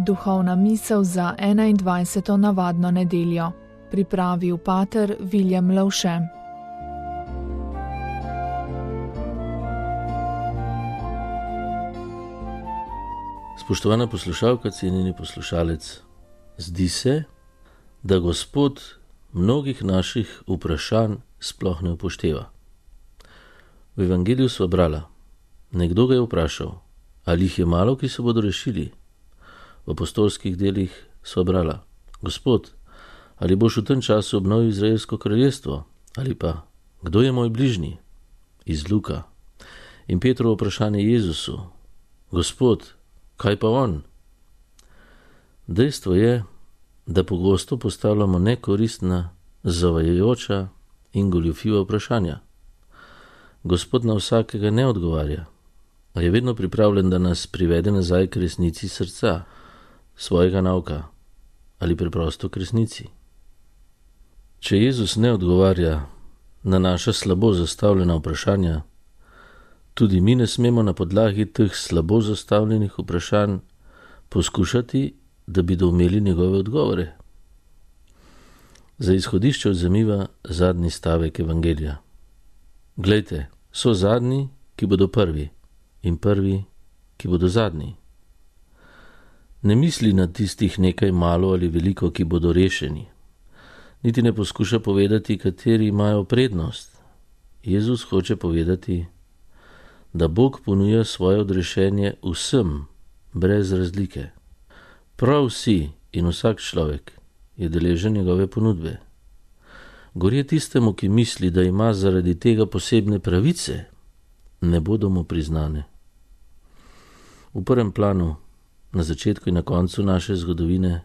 Duhovna misel za 21. navadno nedeljo. Pripravil pater Viljem Lavše. Spoštovana poslušalka, cenjeni poslušalec, zdi se, da Gospod mnogih naših vprašanj sploh ne upošteva. V evangeliju sva brala, nekdo ga je vprašal, ali jih je malo, ki se bodo rešili. V apostolskih delih sva brala, Gospod, ali boš v tem času obnovil Izraelsko kraljestvo, ali pa, kdo je moj bližnji? Iz Luka. In Petrovo vprašanje Jezusu, Gospod, kaj pa on? Dejstvo je, da pogosto postavljamo nekoristna, zavajajoča in goljufiva vprašanja. Gospod na vsakega ne odgovarja, a je vedno pripravljen, da nas privede nazaj k resnici srca, svojega nauka ali preprosto k resnici. Če Jezus ne odgovarja na naša slabo zastavljena vprašanja, tudi mi ne smemo na podlagi teh slabo zastavljenih vprašanj poskušati, da bi doumeli njegove odgovore. Za izhodišče vzemiva zadnji stavek evangelija. Glejte, so zadnji, ki bodo prvi, in prvi, ki bodo zadnji. Ne misli na tistih nekaj malo ali veliko, ki bodo rešeni. Niti ne poskuša povedati, kateri imajo prednost. Jezus hoče povedati, da Bog ponuja svoje odrešenje vsem, brez razlike. Prav vsi in vsak človek je deležen njegove ponudbe. Gorje tistemu, ki misli, da ima zaradi tega posebne pravice, ne bodo mu priznane. V prvem planu, na začetku in na koncu naše zgodovine,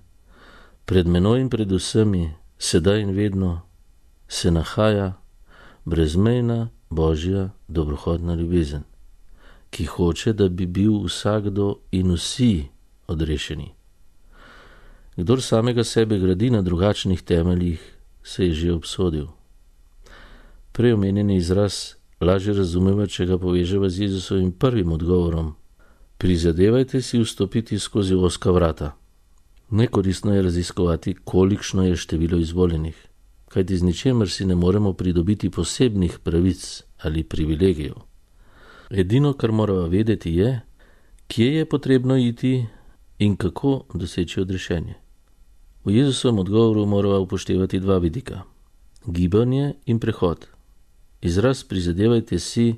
pred menoj in pred vsemi, sedaj in vedno, se nahaja brezmejna Božja dobrohotna ljubezen, ki hoče, da bi bil vsakdo in vsi odrešeni. Kdor samega sebe gradi na drugačnih temeljih, se je že obsodil. Prej omenjeni izraz lažje razumeva, če ga poveževa z Jezusovim prvim odgovorom. Prizadevajte si vstopiti skozi ozka vrata. Nekoristno je raziskovati, kolikšno je število izvoljenih, kajti z ničemer si ne moremo pridobiti posebnih pravic ali privilegijev. Edino, kar moramo vedeti, je, kje je potrebno iti in kako doseči odrešenje. V Jezusovem odgovoru moramo upoštevati dva vidika: gibanje in prehod. Izraz prizadevajte si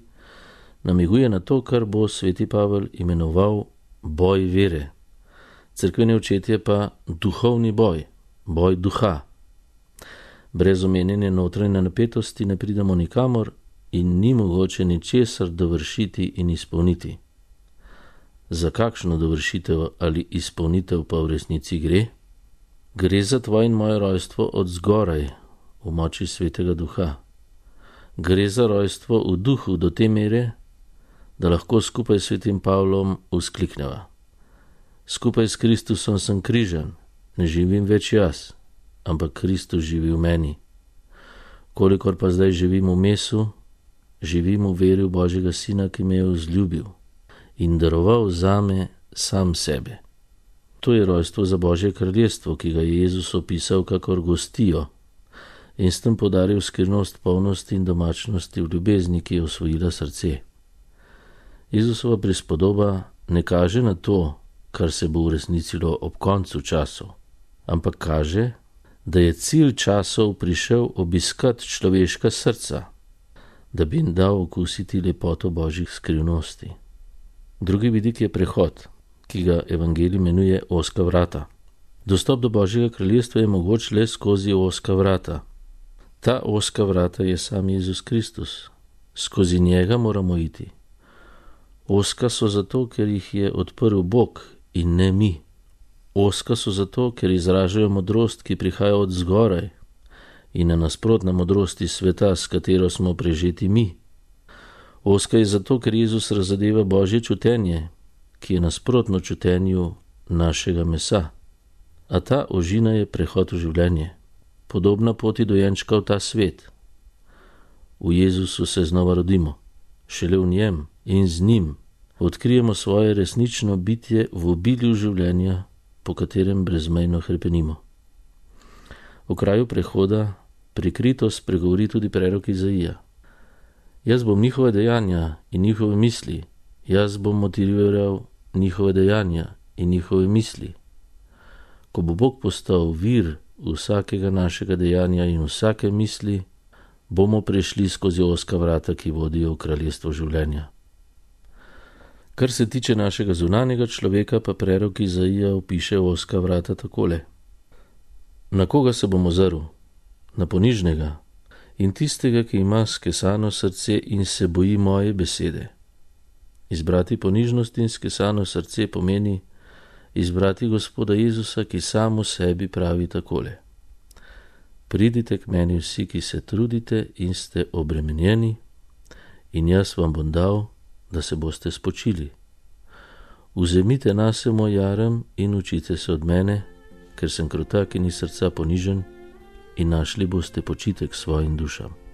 namiguje na to, kar bo sveti Pavel imenoval boj vere. Cerkveni očetje pa duhovni boj, boj duha. Brez omenjene notranje napetosti ne pridemo nikamor in ni mogoče ničesar dovršiti in izpolniti. Za kakšno dovršitev ali izpolnitev pa v resnici gre? Gre za tvoje in moje rojstvo od zgoraj, v moči svetega duha. Gre za rojstvo v duhu do te mere, da lahko skupaj s svetim Pavlom vzklikneva. Skupaj s Kristusom sem križan, ne živim več jaz, ampak Kristus živi v meni. Kolikor pa zdaj živim v mesu, živim v veri v Božjega Sina, ki me je vzljubil in daroval zame sam sebe. To je rojstvo za Božje kraljestvo, ki ga je Jezus opisal kakor gostijo in s tem podaril skrivnost polnosti in domačnosti v ljubezni, ki je osvojila srce. Jezusova prispodoba ne kaže na to, kar se bo uresničilo ob koncu časov, ampak kaže, da je cilj časov prišel obiskat človeška srca, da bi jim dal okusiti lepoto Božjih skrivnosti. Drugi vidik je prehod, ki ga evangelij imenuje ozka vrata. Dostop do Božjega kraljestva je mogoč le skozi ozka vrata. Ta ozka vrata je sam Jezus Kristus. Skozi njega moramo iti. Ozka so zato, ker jih je odprl Bog in ne mi. Ozka so zato, ker izražajo modrost, ki prihaja od zgoraj in na nasprotna modrosti sveta, s katero smo prežeti mi. Ozka je zato, ker Jezus razadeva Božje čutenje, ki je nasprotno čutenju našega mesa. A ta ožina je prehod v življenje, podobna poti dojenčka v ta svet. V Jezusu se znova rodimo, šele v njem in z njim odkrijemo svoje resnično bitje v obilju življenja po katerem brezmejno hrepenimo. V kraju prehoda prikrito spregovori tudi prerok Izaija. Jaz bom njihove dejanja in njihove misli, jaz bom motiviral njihove dejanja in njihove misli. Ko bo Bog postal vir vsakega našega dejanja in vsake misli, bomo prešli skozi ozka vrata, ki vodijo v kraljestvo življenja. Kar se tiče našega zunanjega človeka, pa prerok Izaija opiše ozka vrata takole. Na koga se bom ozrl? Na ponižnega in tistega, ki ima skesano srce in se boji moje besede. Izbrati ponižnost in skesano srce pomeni izbrati Gospoda Jezusa, ki sam v sebi pravi takole. Pridite k meni vsi, ki se trudite in ste obremenjeni, in jaz vam bom dal, da se boste spočili. Vzemite nase moj jarem in učite se od mene, ker sem krotak in iz srca ponižen, in našli boste počitek svojim dušam.